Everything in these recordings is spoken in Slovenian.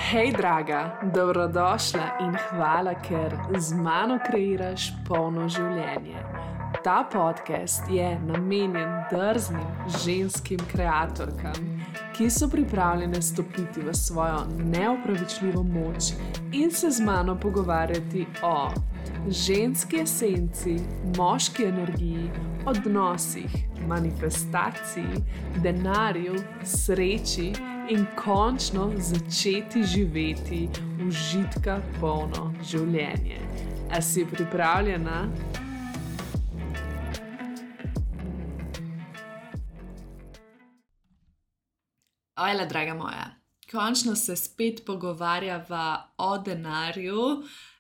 Hej, draga, dobrodošla in hvala, ker z mano kreiraš polno življenje. Ta podcast je namenjen drznim ženskim kreatorkam, ki so pripravljene stopiti v svojo neopravičljivo moč in se z mano pogovarjati o ženski esenci, moški energiji, odnosih, manifestaciji, denarju, sreči in končno začeti živeti užitka polno življenje. A si pripravljena? Ojla, draga moja, končno se spet pogovarjava o denarju.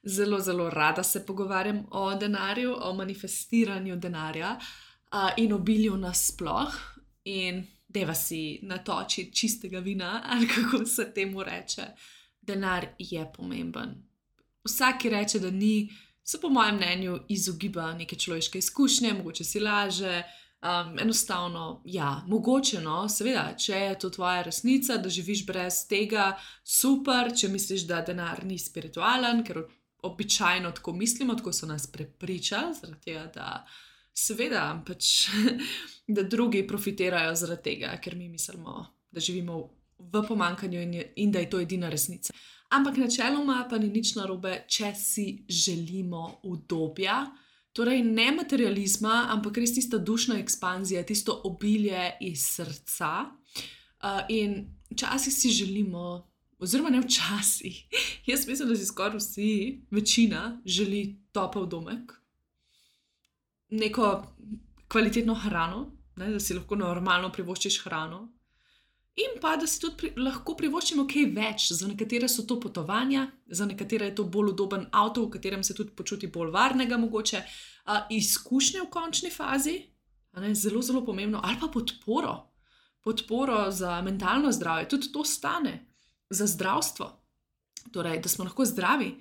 Zelo, zelo rada se pogovarjam o denarju, o manifestiranju denarja in obilju nasploh. In deva si natočiti čistega vina, ali kako se temu reče. Denar je pomemben. Vsak, ki reče, da ni, se po mojem mnenju izogiba neke človeške izkušnje, mogoče si laže. Enostavno, ja, mogoče, no, seveda, če je to tvoja resnica, da živiš brez tega, super. Če misliš, da denar ni spiritualen, ker običajno tako mislimo, tako so nas prepričali, zaradi tega, da seveda, da drugi profitirajo zaradi tega, ker mi mislimo, da živimo v pomanjkanju in da je to edina resnica. Ampak načeloma pa ni nič narobe, če si želimo udobja, torej ne materializma, ampak res tista dušna ekspanzija, tisto obilje iz srca. In včasih si želimo, oziroma ne včasih, jaz mislim, da si skoraj vsi, večina, želi topel domek, neko kvalitetno hrano, ne, da si lahko normalno privoščiš hrano, in pa da si tudi lahko privoščimo kaj več. Za nekatere so to potovanja, za nekatere je to bolj udoben avto, v katerem se tudi počuti bolj varnega mogoče, izkušnje v končni fazi, zelo, zelo pomembno, ali pa podporo za mentalno zdravje, tudi to stane, za zdravstvo, torej, da smo lahko zdravi.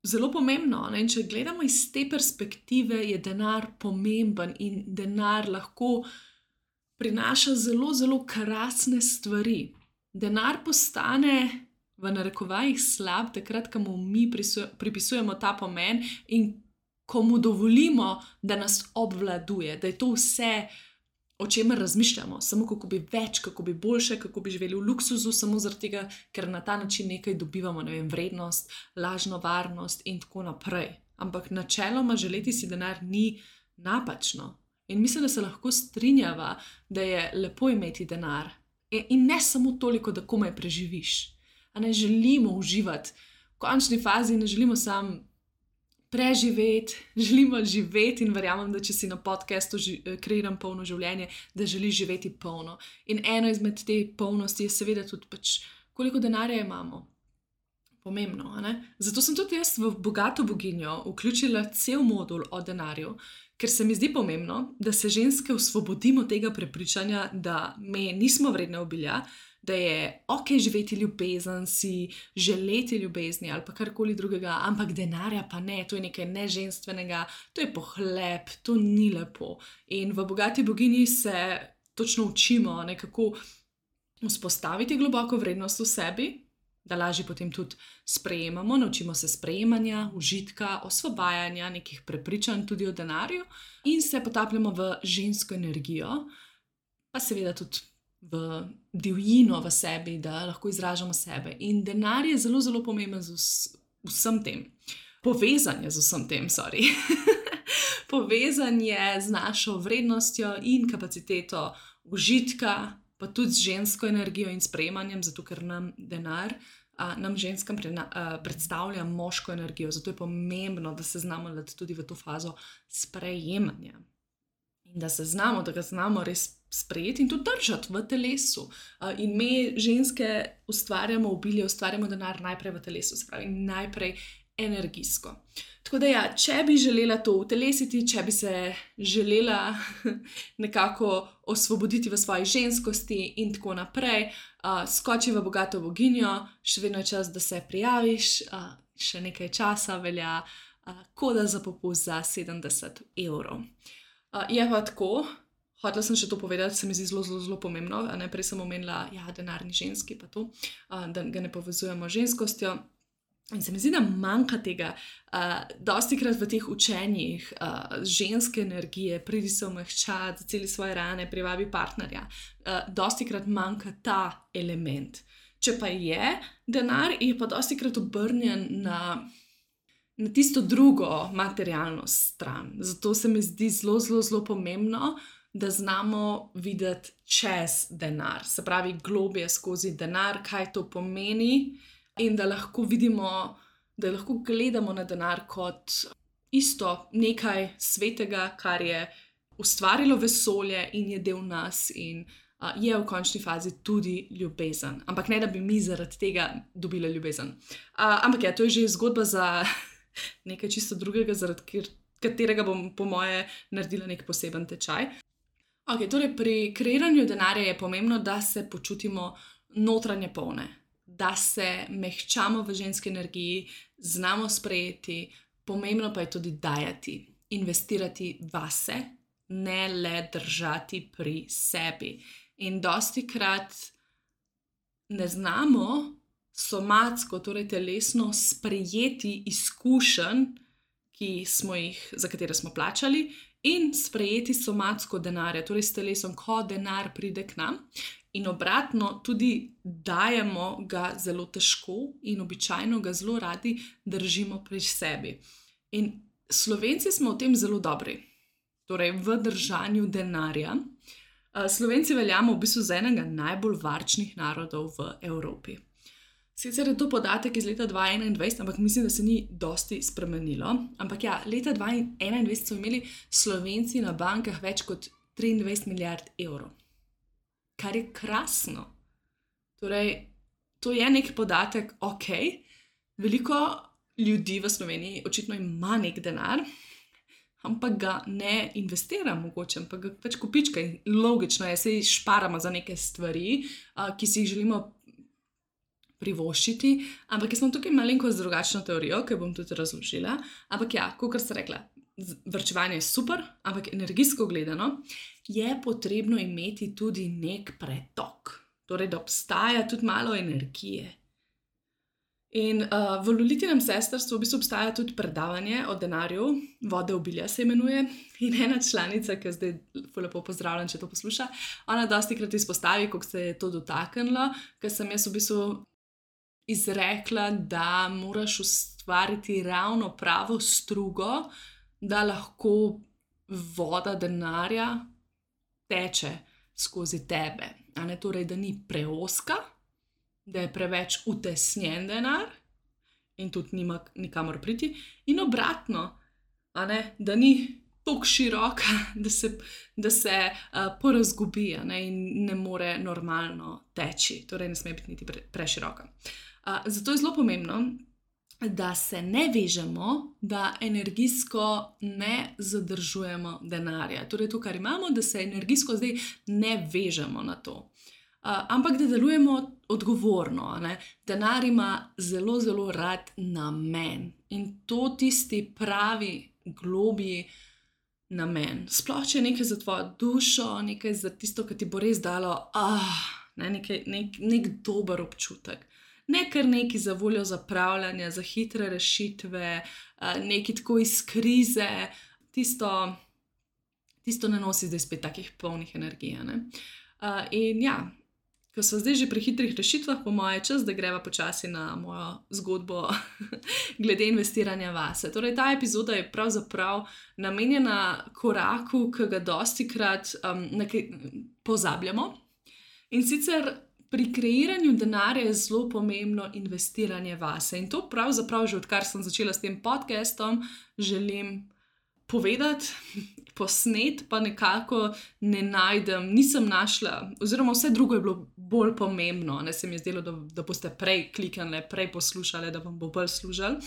Zelo pomembno, ne? In če gledamo iz te perspektive, je denar pomemben in denar lahko prinaša zelo, zelo krasne stvari. Denar postane v narekovajih slab takrat, ko mu mi pripisujemo ta pomen in ko mu dovolimo, da nas obvladuje, da je to vse, o čemer razmišljamo, samo kako bi več, kako bi boljše, kako bi živeli v luksuzu, samo zaradi tega, ker na ta način nekaj dobivamo, ne vem, vrednost, lažno varnost in tako naprej. Ampak načeloma želeti si denar ni napačno. In mislim, da se lahko strinjava, da je lepo imeti denar. In ne samo toliko, da komaj preživiš. A ne želimo uživati. V končni fazi ne želimo samo preživeti, želimo živeti in verjamem, da če si na podcastu Kreiram polno življenje, da želiš živeti polno. In eno izmed te polnosti je seveda tudi koliko denarja imamo. Pomembno, a ne? Zato sem tudi jaz v Bogato boginjo vključila cel modul o denarju, ker se mi zdi pomembno, da se ženske osvobodimo tega prepričanja, da me nismo vredne obilja, da je ok živeti ljubezen, si želeti ljubezni ali pa karkoli drugega, ampak denarja pa ne, to je nekaj neženstvenega, to je pohlep, to ni lepo. In v Bogati boginji se točno učimo, kako vzpostaviti globoko vrednost v sebi, da lažje potem tudi sprejemamo, naučimo se sprejemanja, užitka, osvobajanja, nekih prepričanj tudi o denarju in se potapljamo v žensko energijo, pa seveda tudi v divjino v sebi, da lahko izražamo sebe. In denar je zelo, zelo pomemben z vsem tem. Povezan je z vsem tem, Povezan je z našo vrednostjo in kapaciteto užitka, pa tudi z žensko energijo in sprejemanjem, zato ker nam denar, nam ženskam predstavlja moško energijo. Zato je pomembno, da se znamo dati tudi v to fazo sprejemanja. In da ga znamo res sprejeti in tudi držati v telesu. In me ženske ustvarjamo obilje, ustvarjamo denar najprej v telesu, se pravi najprej energijsko. Tako da ja, če bi želela to utelesiti, če bi se želela nekako osvoboditi v svoji ženskosti in tako naprej, skoči v Bogato boginjo, še vedno je čas, da se prijaviš, še nekaj časa velja koda za popust za 70 €. Je pa tako, hotela sem še to povedati, se mi zdi zelo, zelo, zelo pomembno. Prej sem omenila, denar ni ženski, pa to, da ga ne povezujemo z ženskostjo. In se mi zdi, da manjka tega. Dostikrat v teh učenjih ženske energije, pridi se omehčati, zaceli svoje rane, privabi partnerja, dostikrat manjka ta element. Če pa je denar, je pa dostikrat obrnjen na tisto drugo materialno stran. Zato se mi zdi zelo, zelo, zelo pomembno, da znamo videti čez denar. Se pravi, globje skozi denar, kaj to pomeni. In da lahko vidimo, da lahko gledamo na denar kot isto nekaj svetega, kar je ustvarilo vesolje in je del nas in je v končni fazi tudi ljubezen. Ampak ne, da bi mi zaradi tega dobili ljubezen. Ampak to je že zgodba za nekaj čisto drugega, zaradi katerega bom po moje naredila nek poseben tečaj. Torej pri kreiranju denarja je pomembno, da se počutimo notranje polne. Da se mehčamo v ženski energiji, znamo sprejeti, pomembno pa je tudi dajati, investirati vase, ne le držati pri sebi. In dostikrat ne znamo somatsko, torej telesno, sprejeti izkušenj, za katere smo plačali, in sprejeti somatsko denarja, torej s telesom, ko denar pride k nam. In obratno, tudi dajemo ga zelo težko in običajno ga zelo radi držimo pri sebi. In Slovenci smo v tem zelo dobri, torej v držanju denarja. Slovenci veljamo v bistvu za enega najbolj varčnih narodov v Evropi. Sicer je to podatek iz leta 2021, ampak mislim, da se ni dosti spremenilo. Ampak leta 2021 so imeli Slovenci na bankah več kot 23 milijard evrov. Kar je krasno. Torej, to je nek podatek, veliko ljudi v Sloveniji očitno ima nek denar, ampak ga ne investira mogoče, ampak ga pač kopička. Logično je, se šparamo za neke stvari, ki si jih želimo privoščiti, ampak jaz sem tukaj malenkost drugačno teorijo, ki bom tudi razložila. Ampak kakor sem rekla, varčevanje je super, ampak energijsko gledano je potrebno imeti tudi nek pretok. Torej, da obstaja tudi malo energije. In v Lolitinem sestrstvu v bistvu obstaja tudi predavanje o denarju, Vode obilja se imenuje, in ena članica, ki zdaj lepo pozdravljam, če to posluša, ona dostikrat izpostavi, kako se je to dotaknilo, ker sem jaz v bistvu izrekla, da moraš ustvariti ravno pravo strugo, da lahko voda denarja teče skozi tebe. Torej, da ni preozka, da je preveč utesnjen denar in tudi nima nikamor priti. In obratno, da ni tako široka, da se porazgubi in ne more normalno teči. Torej, ne sme biti niti preširoka. Zato je zelo pomembno, da se ne vežemo, da energijsko ne zadržujemo denarja. Torej, to, kar imamo, da se energijsko zdaj ne vežemo na to. Ampak da delujemo odgovorno. Denar ima zelo, zelo rad namen. In to tisti pravi, globji namen. Sploh, če je nekaj za tvojo dušo, nekaj za tisto, ki ti bo res dalo nek dober občutek. Ne kar neki za voljo zapravljanja, za hitre rešitve, neki tako iz krize, tisto ne nosi zdaj spet takih polnih energij. In ko smo zdaj že pri hitrih rešitvah, po moje čas, da greva počasi na mojo zgodbo glede investiranja vase. Torej, ta epizoda je pravzaprav namenjena koraku, ki ga dostikrat pozabljamo. In sicer pri kreiranju denarja je zelo pomembno investiranje vase. In to pravzaprav že odkar sem začela s tem podcastom, želim povedati, posnet, pa nekako ne najdem, nisem našla, oziroma vse drugo je bilo bolj pomembno. Se mi je zdelo, da boste prej kliknili, prej poslušali, da vam bo bolj služilo.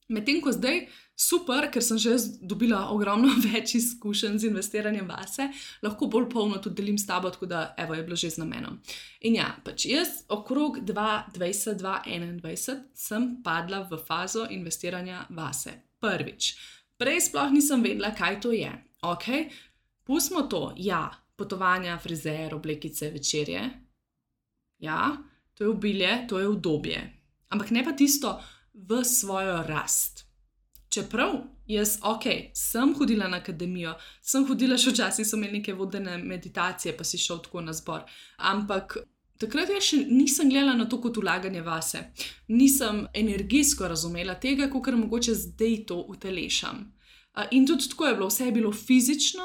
Medtem ko zdaj super, ker sem že dobila ogromno več izkušenj z investiranjem vase, lahko bolj polno tudi delim s tabo, tako da je bilo že z namenom. In pač jaz okrog 2020-2021 sem padla v fazo investiranja vase. Prvič. Prej sploh nisem vedela, kaj to je. Pustimo to, ja, potovanja, frizer, oblekice, večerje. Ja, to je obilje, to je udobje. Ampak ne pa tisto v svojo rast. Čeprav jaz, sem hodila na akademijo, sem hodila še včasih, so imeli neke vodene meditacije, pa si šel tako na zbor. Ampak takrat jaz še nisem gledala na to kot vlaganje vase. Nisem energijsko razumela tega, kakor mogoče zdaj to utelešam. In tudi tako je bilo, vse je bilo fizično,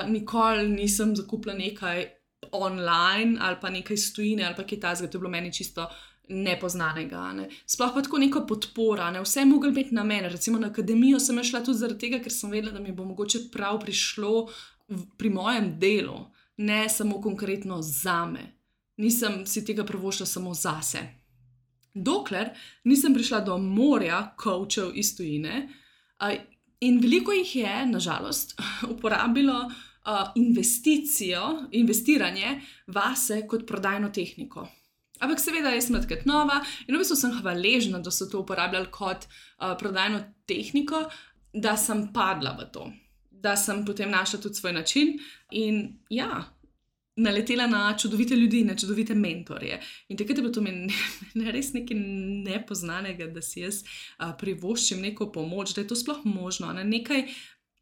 nikoli nisem zakupila nekaj online ali pa nekaj iz tujine ali pa kaj takega, to je bilo meni čisto nepoznanega. Ne. Sploh pa tako neka podpora, ne. Vse je moglo biti na mene. Recimo na akademijo sem šla tudi zaradi tega, ker sem vedela, da mi bo mogoče prav prišlo pri mojem delu, ne samo konkretno zame. Nisem si tega privoščila samo zase. Dokler nisem prišla do morja coachov iz tujine, in veliko jih je, nažalost, uporabilo investiranje vase kot prodajno tehniko. Ampak seveda jaz sem takrat nova in v bistvu sem hvaležna, da so to uporabljali kot prodajno tehniko, da sem padla v to. Da sem potem našla tudi svoj način in ja, naletela na čudovite ljudi, na čudovite mentorje. In takrat je bilo to meni res nekaj nepoznanega, da si jaz privoščim neko pomoč, da je to sploh možno. Nekaj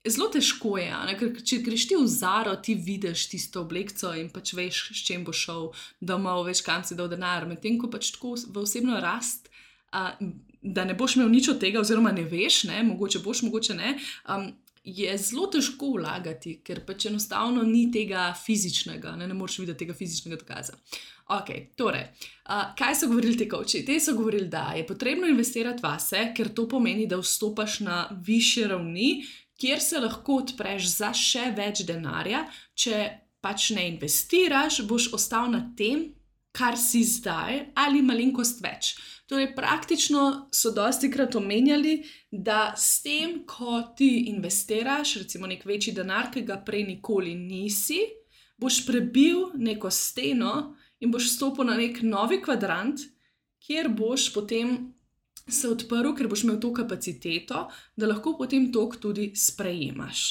zelo težko je, ker če greš ti v Zaro, ti vidiš tisto oblekco in pač veš, s čem bo šel domov, veš, kam si dal denar. Medtem ko pač tako v osebno rast, da ne boš imel nič od tega, oziroma ne veš, ne, mogoče boš, mogoče ne, je zelo težko vlagati, ker pač enostavno ni tega fizičnega, ne moreš videti tega fizičnega dokaza. Torej, kaj so govorili ti coachi? Te so govorili, da je potrebno investirati vase, ker to pomeni, da vstopaš na višje ravni, kjer se lahko odpreš za še več denarja. Če pač ne investiraš, boš ostal na tem, kar si zdaj, ali malenkost več. Torej, praktično so dostikrat omenjali, da s tem, ko ti investiraš, recimo nek večji denar, ki ga prej nikoli nisi, boš prebil neko steno in boš stopil na nek novi kvadrant, kjer boš potem se odprl, ker boš imel to kapaciteto, da lahko potem tok tudi sprejemaš.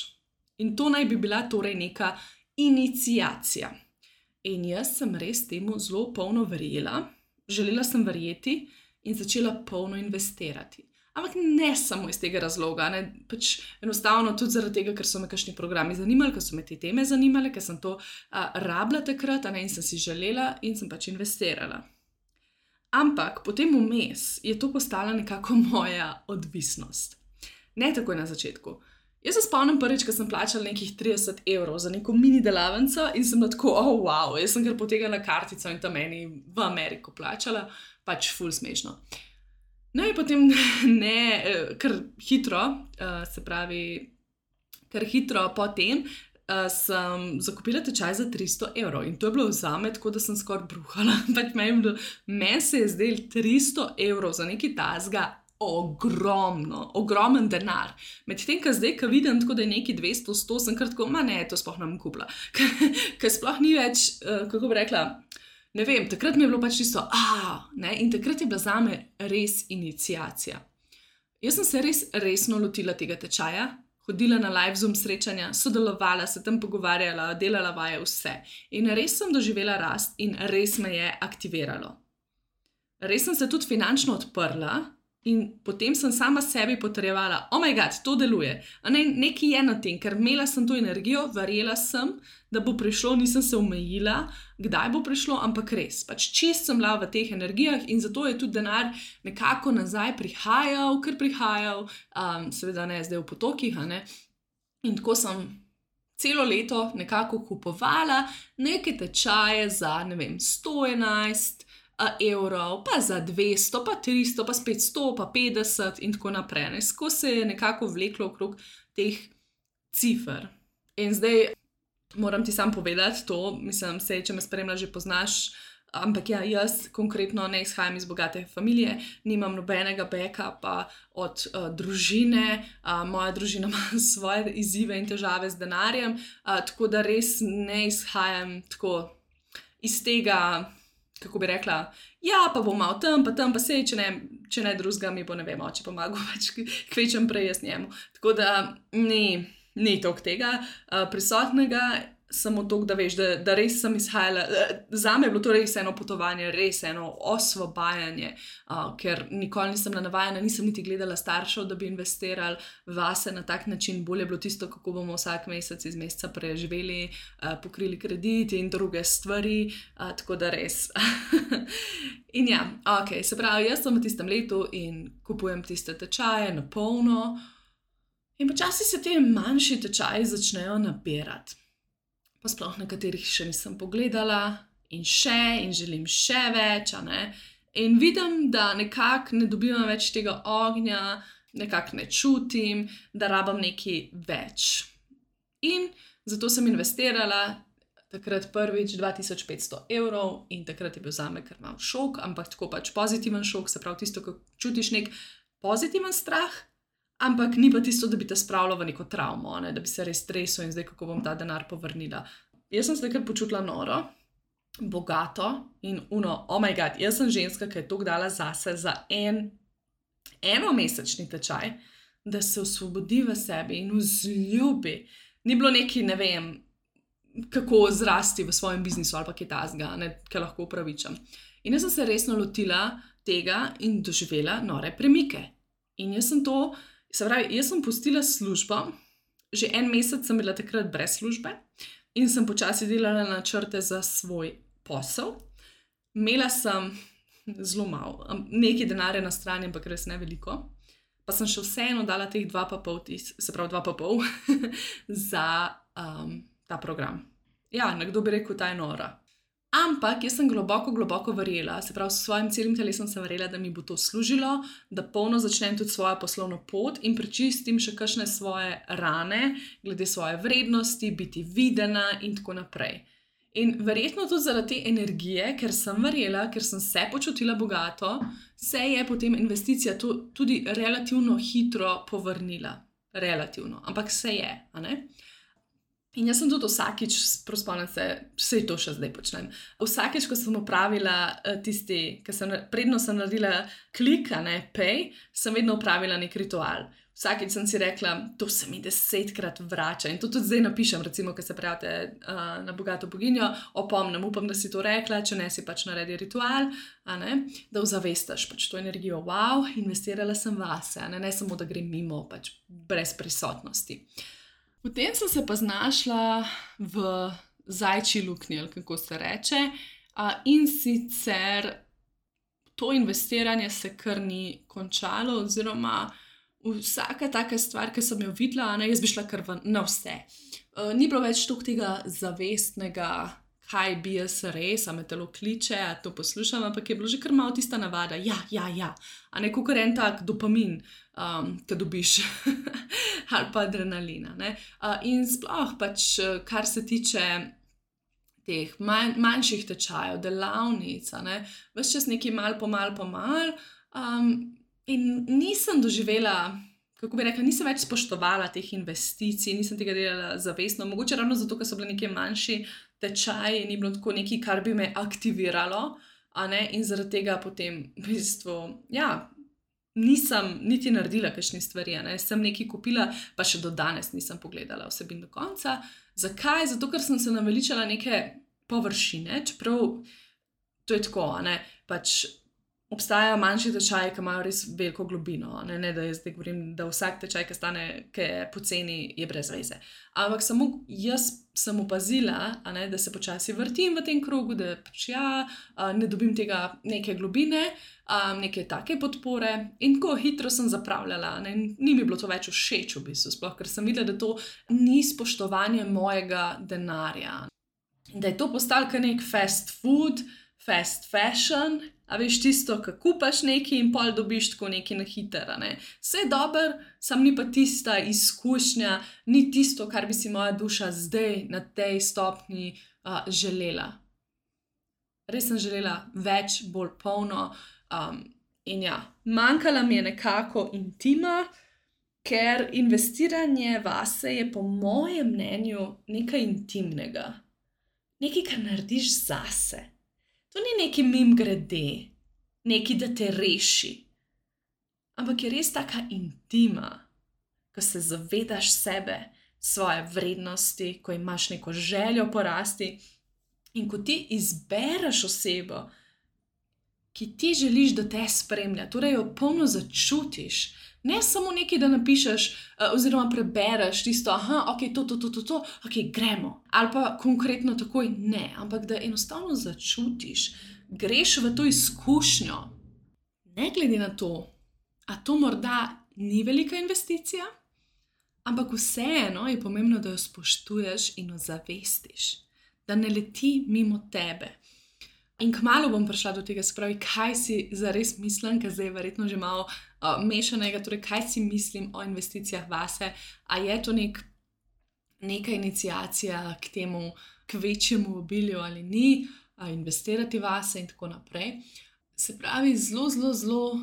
In to naj bi bila torej neka iniciacija. In jaz sem res temu zelo polno verjela, želela sem verjeti in začela polno investirati. Ampak ne samo iz tega razloga, ne, pač enostavno tudi zaradi tega, ker so me kakšni programi zanimali, ker so me te teme zanimale, ker sem to rabila takrat, in sem si želela in sem pač investirala. Ampak potem vmes je to postala nekako moja odvisnost. Ne takoj na začetku. Jaz se spomnim prvič, ko sem plačala nekih 30 € za neko mini delavnico in sem tako, wow, jaz sem kar potegnila kartico in tam meni v Ameriko plačala, pač ful smešno. No in potem kar hitro, se pravi, kar hitro potem sem zakupila tečaj za 300 € in to je bilo zame tako, da sem skoraj bruhala. Pač meni se je zdelo 300 € za nekaj tasga ogromen denar. Medtem, ko zdaj, ko vidim tako, da je nekaj 200, 100, sem kar tako, ne, to sploh ne bom kupila. Ker sploh ni več, kako bi rekla, ne vem, takrat mi je bilo pač čisto, ne, in takrat je bila zame res iniciacija. Jaz sem se res resno lotila tega tečaja, hodila na live Zoom srečanja, sodelovala, se tam pogovarjala, delala vaje, vse. In res sem doživela rast in res me je aktiviralo. Res sem se tudi finančno odprla in potem sem sama sebi potrjevala, oh my god, to deluje. Nekaj je na tem, ker imela sem to energijo, verjela sem, da bo prišlo, nisem se omejila, kdaj bo prišlo, ampak res. Pač čist sem bila v teh energijah in zato je tudi denar nekako nazaj prihajal, seveda ne zdaj v potokih, in tako sem celo leto nekako kupovala neke tečaje za, 111 €, pa za 200, pa 300, pa spet 100, pa 50 in tako naprej. Tako se je nekako vleklo okrog teh cifer. In zdaj moram ti sam povedati to, mislim, če me spremlja, že poznaš, ampak ja, jaz konkretno ne izhajam iz bogate familije, nimam nobenega backupa od družine, moja družina ima svoje izzive in težave z denarjem, tako da res ne izhajam tako iz tega, kako bi rekla, ja, pa bom malo tam, pa sej, če ne drugega mi bo, oče pomagal, pač kvečem prej jaz njemu. Tako da, ni toliko tega prisotnega, samo toliko, da veš, da res sem izhajala. Zame je bilo to res eno potovanje, res eno osvobajanje, ker nikoli nisem navajena, nisem niti gledala staršev, da bi investirali vase na tak način. Bolje je bilo tisto, kako bomo vsak mesec iz meseca preživeli, pokrili krediti in druge stvari, tako da res. In ja, ok, se pravi, jaz sem v tistem letu in kupujem tiste tečaje na polno in počasi se te manjši tečaji začnejo nabirati. Pa sploh nekaterih še nisem pogledala in želim še več, In vidim, da nekako ne dobivam več tega ognja, nekako ne čutim, da rabim nekaj več. In zato sem investirala takrat prvič 2500 evrov in takrat je bil zame kar mal šok, ampak tako pač pozitiven šok, se pravi tisto, ko čutiš nek pozitiven strah, ampak ni pa tisto, da bi te spravilo v neko travmo, da bi se res stresel in zdaj kako bom ta denar povrnila. Jaz sem se takrat počutila noro, bogato in oh my god, jaz sem ženska, ki je toliko dala zase za enomesečni tečaj, da se osvobodi v sebi in vzljubi. Ni bilo neki, ne vem, kako zrasti v svojem biznisu ali pa kaj takega, ki lahko upravičam. In jaz sem se resno lotila tega in doživela nore premike. In jaz sem pustila službo, že en mesec sem bila takrat brez službe in sem počasi delala načrte za svoj posel. Imela sem zelo malo, nekaj denarja na strani, ampak res ne veliko. Pa sem še vseeno dala teh 2,5 za ta program. Ja, nekdo bi rekel, ta je nora. Ampak jaz sem globoko verjela, se pravi, s svojim celim telesom sem verjela, da mi bo to služilo, da polno začnem tudi svojo poslovno pot in prečistim še kakšne svoje rane, glede svoje vrednosti, biti videna in tako naprej. In verjetno tudi zaradi te energije, ker sem verjela, ker sem se počutila bogato, se je potem investicija tudi relativno hitro povrnila. Relativno, ampak se je, In jaz sem tudi vsakič, spomnim se, vse to še zdaj počnem, vsakič, ko sem opravila predno sem naredila klik, pay, sem vedno opravila nek ritual. Vsakič sem si rekla, to se mi 10-krat vrača in to tudi zdaj napišem, recimo, ko se prijavite na Bogato boginjo, opomnim, upam, da si to rekla, če ne si pač naredi ritual, da ozavestaš pač to energijo, wow, investirala sem vase, ne samo, da grem mimo, pač brez prisotnosti. Potem sem se pa znašla v zajčji luknji, ali kako se reče, in sicer to investiranje se kar ni končalo, oziroma vsaka taka stvar, ki sem jo videla, jaz bi šla kar na vse. Ni bilo več toliko tega zavestnega, kaj bi jaz res, a me telo kliče, a to poslušam, ampak je bilo že kar malo tista navada, ja, kakor en tak dopamin, ki dobiš, ali pa adrenalina, In sploh pač, kar se tiče teh manjših tečajev, delavnic, ves čas nekaj mal po mal, in nisem doživela, kako bi rekla, nisem več spoštovala teh investicij, nisem tega delala zavestno, mogoče ravno zato, ker so bile neke manjši tečaji, ni bilo tako nekaj, kar bi me aktiviralo, in zaradi tega potem v bistvu, nisem niti naredila kakšne stvari, sem nekaj kupila, pa še do danes nisem pogledala vsebin do konca. Zakaj? Zato, ker sem se naveličala neke površine, čeprav to je tako, pač obstajajo manjši tečaji, ki imajo res veliko globino, ne da jaz zdaj govorim, da vsak tečaj, ki je poceni, je brez veze. Ampak samo jaz sem opazila, da se počasi vrtim v tem krogu, da pač ne dobim tega neke globine, neke take podpore in tako hitro sem zapravljala, ni mi bilo to več všeč v bistvu, sploh, ker sem videla, da to ni spoštovanje mojega denarja. Da je to postalo kar nek fast food, fast fashion, a veš tisto, ko kupaš nekaj in pol dobiš tako nekaj na hitro, Vse je dobro, samo ni pa tista izkušnja, ni tisto, kar bi si moja duša zdaj na tej stopnji želela. Res sem želela več, bolj polno, in manjkala mi je nekako intima, ker investiranje vase je po mojem mnenju nekaj intimnega. Nekaj, kar narediš zase. To ni neki mimogrede, neki, da te reši, ampak je res taka intima, ko se zavedaš sebe, svoje vrednosti, ko imaš neko željo po rasti in ko ti izbereš osebo, ki ti želiš, da te spremlja, torej jo polno začutiš. Ne samo nekaj, da napišeš oziroma prebereš tisto, ok, to, ok, gremo. Ali pa konkretno takoj ne, ampak da enostavno začutiš, greš v to izkušnjo. Ne glede na to, a to morda ni velika investicija, ampak vseeno je pomembno, da jo spoštuješ in jo zavestiš, da ne leti mimo tebe. In kmalu bom prišla do tega, se pravi, kaj si zares mislim, ker zdaj je verjetno že malo mešanega, torej kaj si mislim o investicijah vase, a je to neka iniciacija k temu, k večjemu obilju ali ni, investirati vase in tako naprej. Se pravi,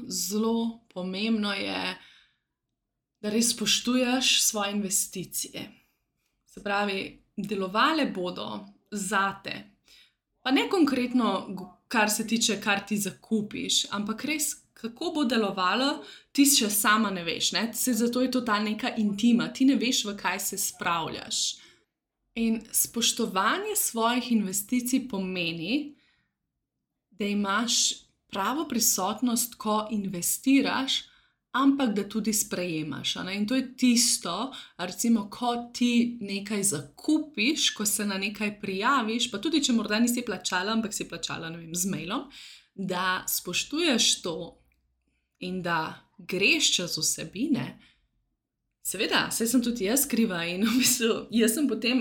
zelo pomembno je, da res spoštuješ svoje investicije. Se pravi, delovale bodo zate. Pa ne konkretno, kar se tiče, kar ti zakupiš, ampak res, kako bo delovalo, ti še sama ne veš. Ne? Zato je to ta neka intima, ti ne veš, v kaj se spravljaš. In spoštovanje svojih investicij pomeni, da imaš pravo prisotnost, ko investiraš, ampak da tudi sprejemaš. In to je tisto, recimo, ko ti nekaj zakupiš, ko se na nekaj prijaviš, pa tudi, če morda nisi plačala, ampak si plačala, ne vem, z mailom, da spoštuješ to in da greš čez vsebine. Seveda, saj sem tudi jaz kriva in v bistvu jaz sem potem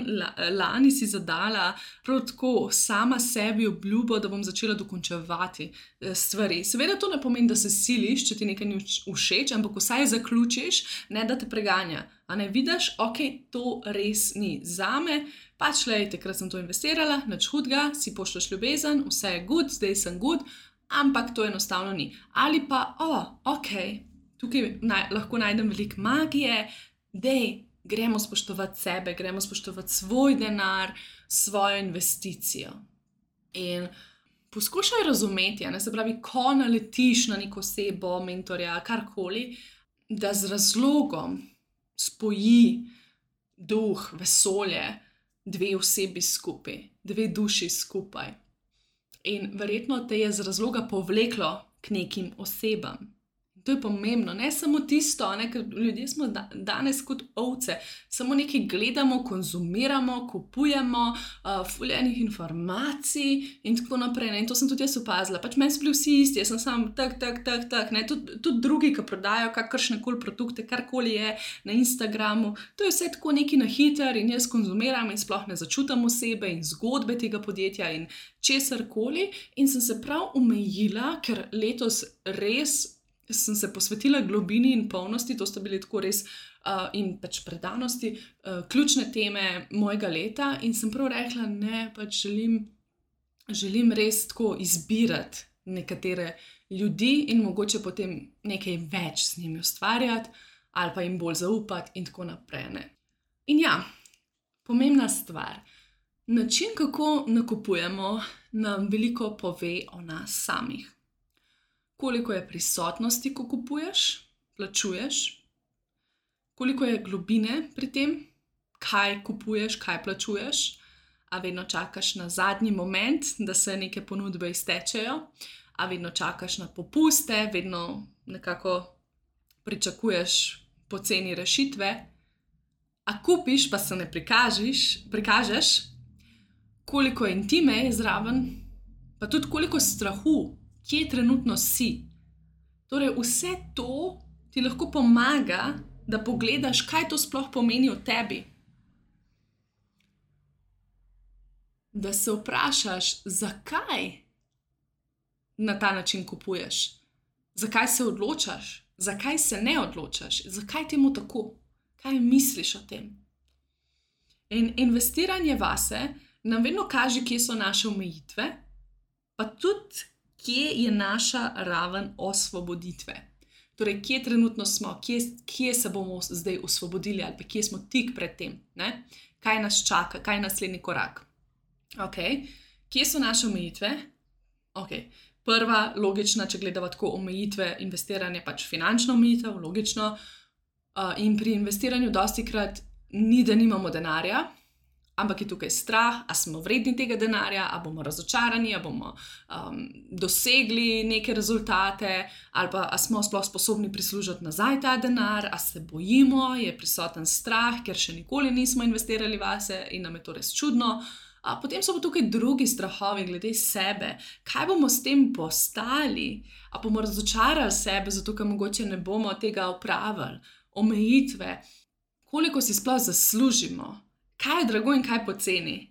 lani si zadala prav tako sama sebi obljubo, da bom začela dokončevati stvari. Seveda to ne pomeni, da se siliš, če ti nekaj ni všeč, ampak vsaj zaključiš, ne da te preganja. A ne vidiš, ok, to res ni zame, pač lej, takrat sem to investirala, nič hudega, si pošlješ ljubezen, vse je good, zdaj sem good, ampak to enostavno ni. Ali pa, ok, tukaj lahko najdem veliko magije, dej, gremo spoštovati sebe, gremo spoštovati svoj denar, svojo investicijo. In poskušaj razumeti, se pravi, ko naletiš na neko osebo, mentorja, karkoli, da z razlogom spoji duh, vesolje, dve osebi skupaj, dve duši skupaj. In verjetno te je z razloga povleklo k nekim osebam. To je pomembno, ne samo tisto, ker ljudje smo danes kot ovce, samo nekaj gledamo, konzumiramo, kupujemo, ful enih informacij in tako naprej. In to sem tudi jaz opazila. Pač meni so bili vsi isti, jaz sem sam tak. Tudi drugi, ki prodajajo kakršnekoli produkte, karkoli je na Instagramu, to je vse tako neki na hiter in jaz konzumiram in sploh ne začutam osebe in zgodbe tega podjetja in česarkoli. In sem se prav omejila, ker letos res sem se posvetila globini in polnosti, to sta bili tako res in pač predanosti, ključne teme mojega leta in sem prav rekla, ne, pač želim res tako izbirati nekatere ljudi in mogoče potem nekaj več z njimi ustvarjati ali pa jim bolj zaupati in tako naprej. Ne. In ja, pomembna stvar, način, kako nakupujemo, nam veliko pove o nas samih. Koliko je prisotnosti, ko kupuješ, plačuješ, koliko je globine pri tem, kaj kupuješ, kaj plačuješ, a vedno čakaš na zadnji moment, da se neke ponudbe iztečejo, a vedno čakaš na popuste, vedno nekako pričakuješ poceni rešitve, a kupiš, pa se ne prikažeš, koliko intime je zraven, pa tudi koliko strahu, kje trenutno si. Torej, vse to ti lahko pomaga, da pogledaš, kaj to sploh pomeni o tebi. Da se vprašaš, zakaj na ta način kupuješ, zakaj se odločaš, zakaj se ne odločaš, zakaj temu tako, kaj misliš o tem. In investiranje vase nam vedno kaže, kje so naše omejitve, pa tudi kje je naša raven osvoboditve. Torej, kje trenutno smo, kje se bomo zdaj osvobodili ali pa kje smo tik pred tem. Ne? Kaj nas čaka, kaj je naslednji korak. Okay. Kje so naše omejitve? Okay. Prva, logična, če gledamo tako omejitve investiranja, pač finančna omejitev, logično. In pri investiranju dostikrat ni, da nimamo denarja, ampak je tukaj strah, a smo vredni tega denarja, a bomo razočarani, a bomo dosegli neke rezultate, ali pa a smo sploh sposobni prislužiti nazaj ta denar, a se bojimo, je prisoten strah, ker še nikoli nismo investirali vase in nam je to res čudno. Potem so pa tukaj drugi strahovi glede sebe. Kaj bomo s tem postali? A bomo razočarali sebe, zato ker mogoče ne bomo tega opravili? Omejitve. Koliko si sploh zaslužimo? Kaj je drago in kaj poceni?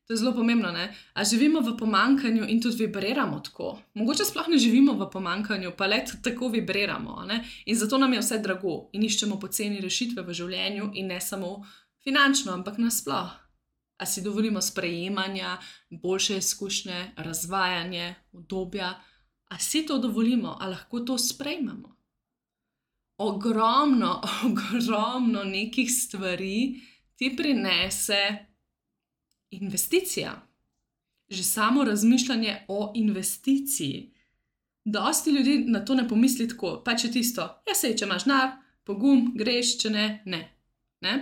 To je zelo pomembno, ne? A živimo v pomanjkanju in tudi vibriramo tako? Mogoče sploh ne živimo v pomanjkanju, pa le tako vibriramo, ne? In zato nam je vse drago in iščemo poceni rešitve v življenju in ne samo finančno, ampak nasploh. A si dovolimo sprejemanja, boljše izkušnje, razvajanje, udobja? A si to dovolimo? A lahko to sprejmemo? Ogromno nekih stvari ti prinese investicija. Že samo razmišljanje o investiciji. Dosti ljudi na to ne pomisli tako, pač je tisto, sej, če imaš denar, pogum, greš, če ne, ne.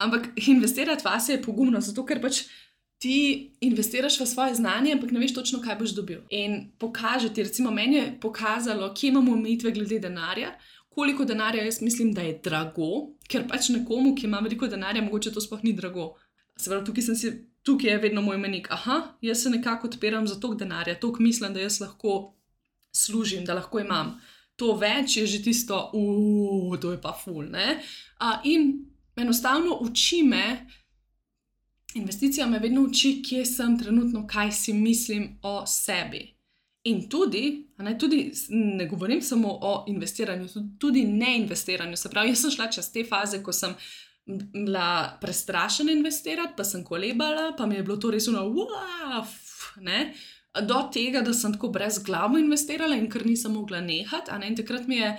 Ampak investirati vase je pogumno, zato ker pač ti investiraš v svoje znanje, ampak ne veš točno, kaj boš dobil. In pokaže ti, recimo meni je pokazalo, kje imamo omejitve glede denarja, koliko denarja jaz mislim, da je drago, ker pač nekomu, ki ima veliko denarja, mogoče to sploh ni drago. Se pravi, tukaj je vedno moj menik. Jaz se nekako odpiram za toliko denarja, toliko mislim, da jaz lahko služim, da lahko imam. To več je že tisto, to je pa ful, ne? In enostavno uči me, investicija me vedno uči, kje sem trenutno, kaj si mislim o sebi. In tudi ne govorim samo o investiranju, tudi neinvestiranju. Se pravi, jaz sem šla čez te faze, ko sem bila prestrašena investirati, pa sem kolebala, pa mi je bilo to res ne? Do tega, da sem tako brezglavo investirala in ker nisem mogla nehati, in takrat mi je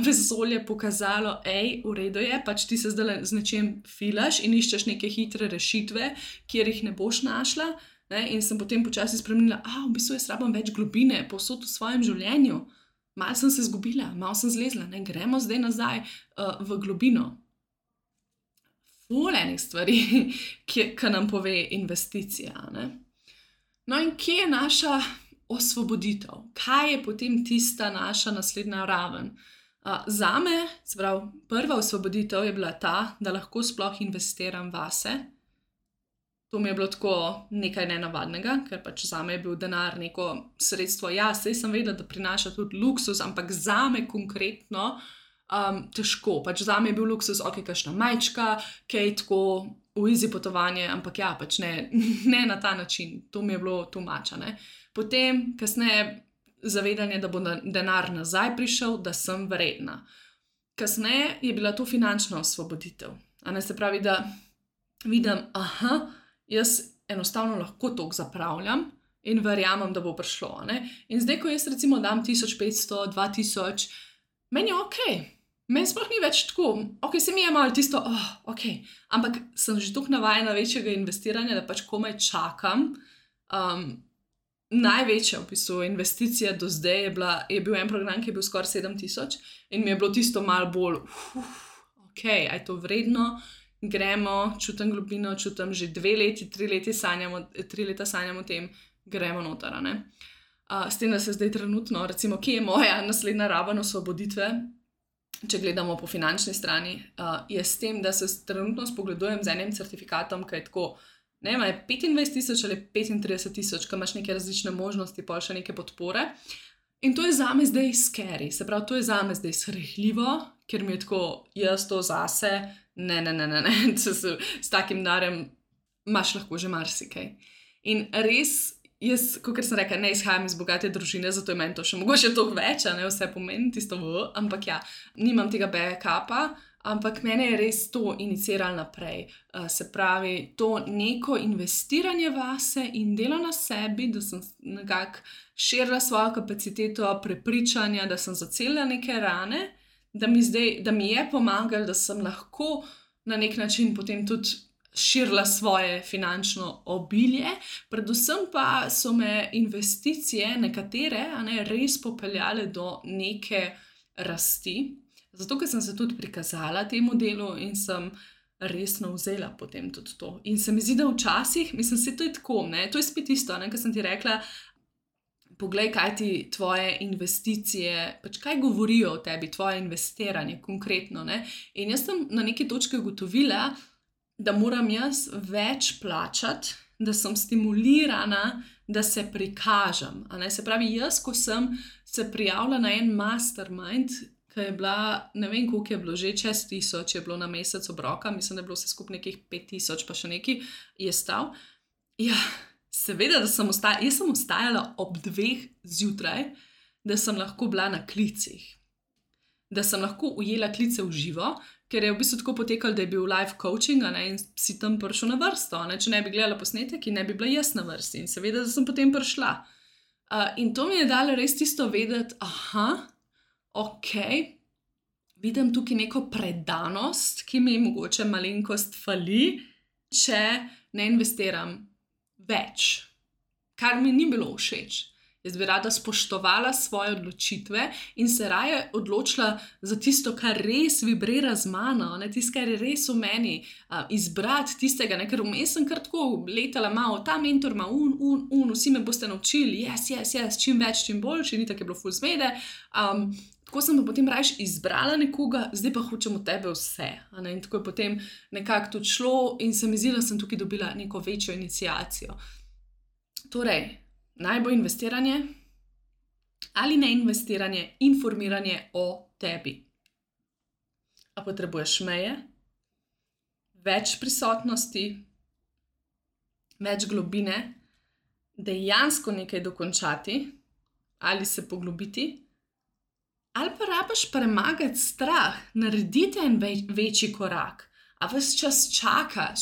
vesolje pokazalo, v redu je, pač ti se zdaj z nečem filaš in iščeš neke hitre rešitve, kjer jih ne boš našla. In sem potem počasi spremenila, v bistvu jaz rabim več globine povsod v svojem življenju. Malo sem se izgubila, malo sem zlezla, gremo zdaj nazaj v globino. Ful enih stvari, ki nam pove investicija, ne? No in kje je naša osvoboditev? Kaj je potem tista naša naslednja raven? Zame, se pravi, prva osvoboditev je bila ta, da lahko sploh investiram vase. To mi je bilo tako nekaj nenavadnega, ker pač zame je bil denar neko sredstvo. Saj sem vedela, da prinaša tudi luksus, ampak zame konkretno težko. Pač zame je bil luksus, kakšna majčka, kaj tako v easy potovanje, ampak pač ne na ta način. To mi je bilo too much, ne. Potem, kasneje, zavedanje, da bo denar nazaj prišel, da sem vredna. Kasneje je bila to finančna osvoboditev. Se pravi, da vidim, jaz enostavno lahko toliko zapravljam in verjamem, da bo prišlo, ne. In zdaj, ko jaz recimo dam 1500, 2000, meni je okej. Meni sploh ni več tako, se mi je malo tisto, ampak sem že toliko navajena večjega investiranja, da pač komaj čakam. Največja v bistvu investicija do zdaj je bil en program, ki je bil skoraj 7000 in mi je bilo tisto malo bolj, a je to vredno, gremo, čutim globino, čutim že 2 leti, 3 leta sanjam o tem, gremo noter, ne. S tem, da se zdaj trenutno, recimo, kje je moja naslednja raven osvoboditve, če gledamo po finančni strani, je s tem, da se trenutno spogledujem z enim certifikatom, ki je tako, ne vem, je 25 000 ali 35 000, ko imaš neke različne možnosti, pa še neke podpore. In to je zame zdaj scary, se pravi, to je zame zdaj srhljivo, ker mi je tako, jaz to zase, ne, s takim denarjem imaš lahko že marsikaj. In res, jaz, kakor sem rekla, ne izhajam iz bogate družine, zato je meni to še mogoče toliko več, vse pomeni tisto, ampak nimam tega backupa, ampak mene je res to iniciralo naprej. Se pravi, to neko investiranje vase in delo na sebi, da sem nekako širila svojo kapaciteto prepričanja, da sem zacelila neke rane, da mi je pomagalo, da sem lahko na nek način potem tudi širila svoje finančno obilje. Predvsem pa so me investicije nekatere res popeljale do neke rasti, zato ker sem se tudi prikazala temu delu in sem resno vzela potem tudi to. In se mi zdi, da včasih, mislim, se to je tako, ne? To je spet isto, ne? Kar sem ti rekla, poglej, kaj ti tvoje investicije, pač kaj govorijo o tebi, tvoje investiranje konkretno, ne? In jaz sem na neki točki ugotovila, da moram jaz več plačati, da sem stimulirana, da se prikažem. A ne? Se pravi, jaz, ko sem se prijavila na en mastermind, ki je bila, ne vem, koliko je bilo že, čez 1000 je bilo na mesec obroka, mislim, da je bilo vse skupaj nekih 5000, pa še nekaj je stal. Ja, seveda, da sem jaz sem ostajala ob 2 zjutraj, da sem lahko bila na klicih. Da sem lahko ujela klice v živo, ker je v bistvu tako potekalo, da je bil live coaching, ne, in si tam prišel na vrsto. Ne, če ne bi gledala posnetek in ne bi bila jaz na vrsti. In seveda, da sem potem prišla. In to mi je dalo res tisto vedeti, ok, vidim tukaj neko predanost, ki mi mogoče malenkost fali, če ne investiram več, kar mi ni bilo všeč. Jaz bi rada spoštovala svoje odločitve in se raje odločila za tisto, kar res vibrira z mano, ne, tisto, kar je res v meni, izbrati tistega, ne, ker vmes sem kar tako letala malo, ta mentor ima vsi me boste naučili, yes, čim več, čim boljši, ni tako je bilo ful zmede. Tako sem pa potem rajš izbrala nekoga, zdaj pa hočem od tebe vse. Ne? In tako je potem nekako tudi šlo in se mi zdi, da sem tukaj dobila neko večjo iniciacijo. Torej, naj bo investiranje ali ne investiranje, informiranje o tebi. A potrebuješ meje, več prisotnosti, več globine, dejansko nekaj dokončati ali se poglobiti, ali pa rabiš premagati strah, narediti en večji korak, a ves čas čakaš,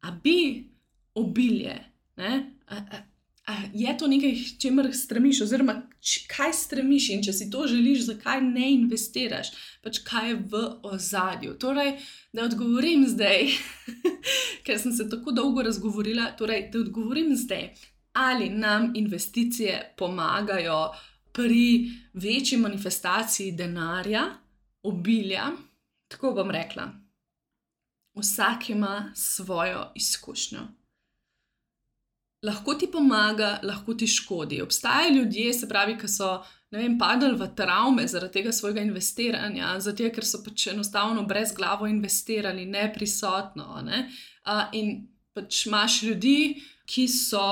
a bi obilje, ne? Je to nekaj, čemer stremiš, oziroma kaj stremiš in če si to želiš, zakaj ne investiraš, pač kaj je v ozadju. Torej, da odgovorim zdaj, ker sem se tako dolgo razgovorila, torej, da odgovorim zdaj, ali nam investicije pomagajo pri večji manifestaciji denarja, obilja. Tako bom rekla, vsak ima svojo izkušnjo. Lahko ti pomaga, lahko ti škodi. Obstajajo ljudje, se pravi, ki so, ne vem, padali v travme zaradi tega svojega investiranja, zato ker so pač enostavno brezglavo investirali, neprisotno, ne? In pač imaš ljudi, ki so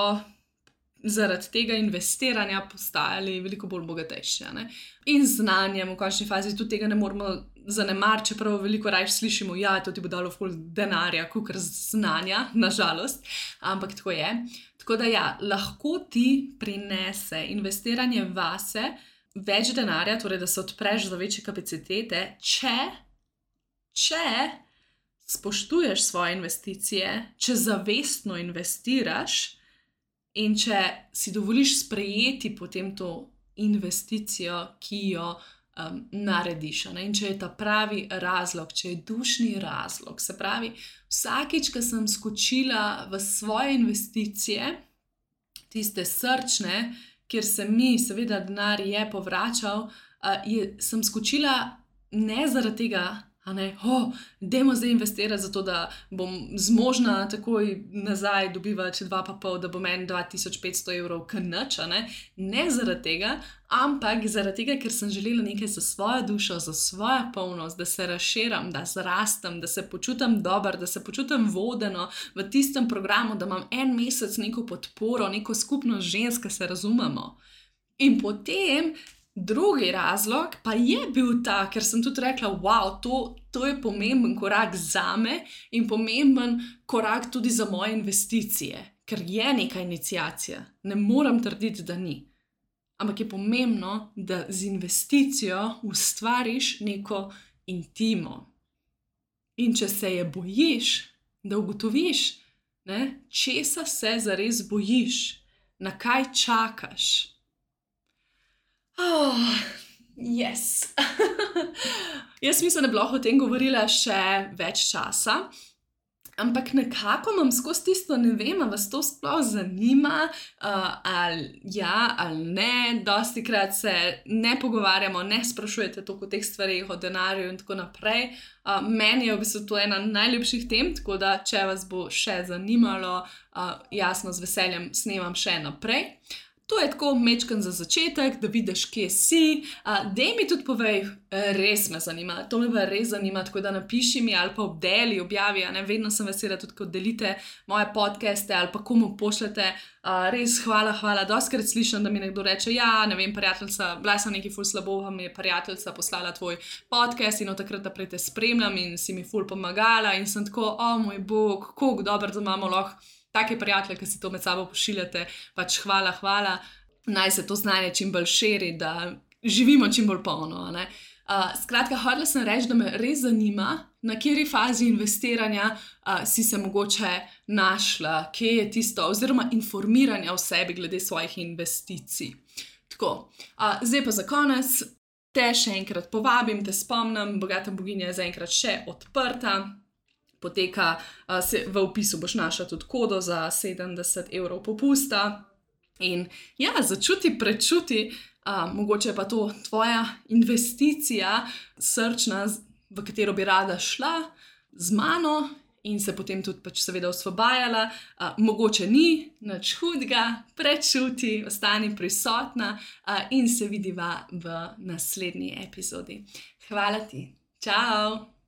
zaradi tega investiranja postajali veliko bolj bogatejši, ne? In znanjem v končni fazi tudi tega ne moramo zanemariti, čeprav veliko raje slišimo, ja, to ti bo dalo ful denarja, kakor znanja, nažalost, ampak tako je. Tako da ja, lahko ti prinese investiranje vase več denarja, torej da se odpreš za večje kapacitete, če spoštuješ svoje investicije, če zavestno investiraš in če si dovoliš sprejeti potem to investicijo, ki jo narediš. Ne? In če je ta pravi razlog, če je dušni razlog, se pravi, vsakič, ko sem skočila v svoje investicije, tiste srčne, kjer se mi, seveda denar je povračal, sem skočila ne zaradi tega, dajmo zdaj investirati zato, da bom zmožna takoj nazaj dobivati 2,5, da bom meni 2500 evrov knač, ne zaradi tega, ampak zaradi tega, ker sem želela nekaj za svojo dušo, za svojo polnost, da se razširam, da zrastem, da se počutim dobro, da se počutim vodeno v tistem programu, da imam en mesec neko podporo, neko skupnost žensk, ki se razumemo. In potem drugi razlog pa je bil ta, ker sem tudi rekla, wow, to je pomemben korak zame in pomemben korak tudi za moje investicije, ker je neka iniciacija, ne moram trditi, da ni. Ampak je pomembno, da z investicijo ustvariš neko intimo. In če se je bojiš, da ugotoviš, česa se zares bojiš, na kaj čakaš. Yes. Jaz mislim, da bi lahko o tem govorila še več časa. Ampak nekako imam skozi tisto, ne vem, a vas to sploh zanima, ali ja ali ne. Dostikrat se ne pogovarjamo, ne sprašujete toliko o teh stvareh, o denarju in tako naprej. Meni je v bistvu to ena najljubših tem, tako da če vas bo še zanimalo, jasno, z veseljem snemam še naprej. To je tako mečken za začetek, da vidiš, kje si. Dej mi tudi povej, res me zanima, to me pa res zanima, tako da napiši mi ali pa objavi, ne, vedno sem vesela tudi, ko delite moje podcaste ali pa komu pošljete. Res hvala, dostikrat slišim, da mi nekdo reče, ja, ne vem, prijateljica, bila sem nekaj ful slabo, pa mi je prijateljica poslala tvoj podcast in od takrat naprej te spremljam in si mi ful pomagala in sem tako, moj bog, koliko dobro, da imamo lahko take prijatelje, ki si to med sabo pošiljate, pač hvala. Naj se to znanje čim bolj širi, da živimo čim bolj polno, ne. Skratka, hotela sem reči, da me res zanima, na kateri fazi investiranja si se mogoče našla, kje je tisto, oziroma informiranja o sebi glede svojih investicij. Tako, zdaj pa za konec te še enkrat povabim, te spomnim, Bogata boginja je zaenkrat še odprta. Poteka, v opisu boš našla tudi kodo za 70 € popusta. In ja, začuti, prečuti, mogoče pa to tvoja investicija srčna, v katero bi rada šla z mano in se potem tudi pač seveda osvobajala. Mogoče ni nič hudega, prečuti, ostani prisotna in se vidiva v naslednji epizodi. Hvala ti. Čau!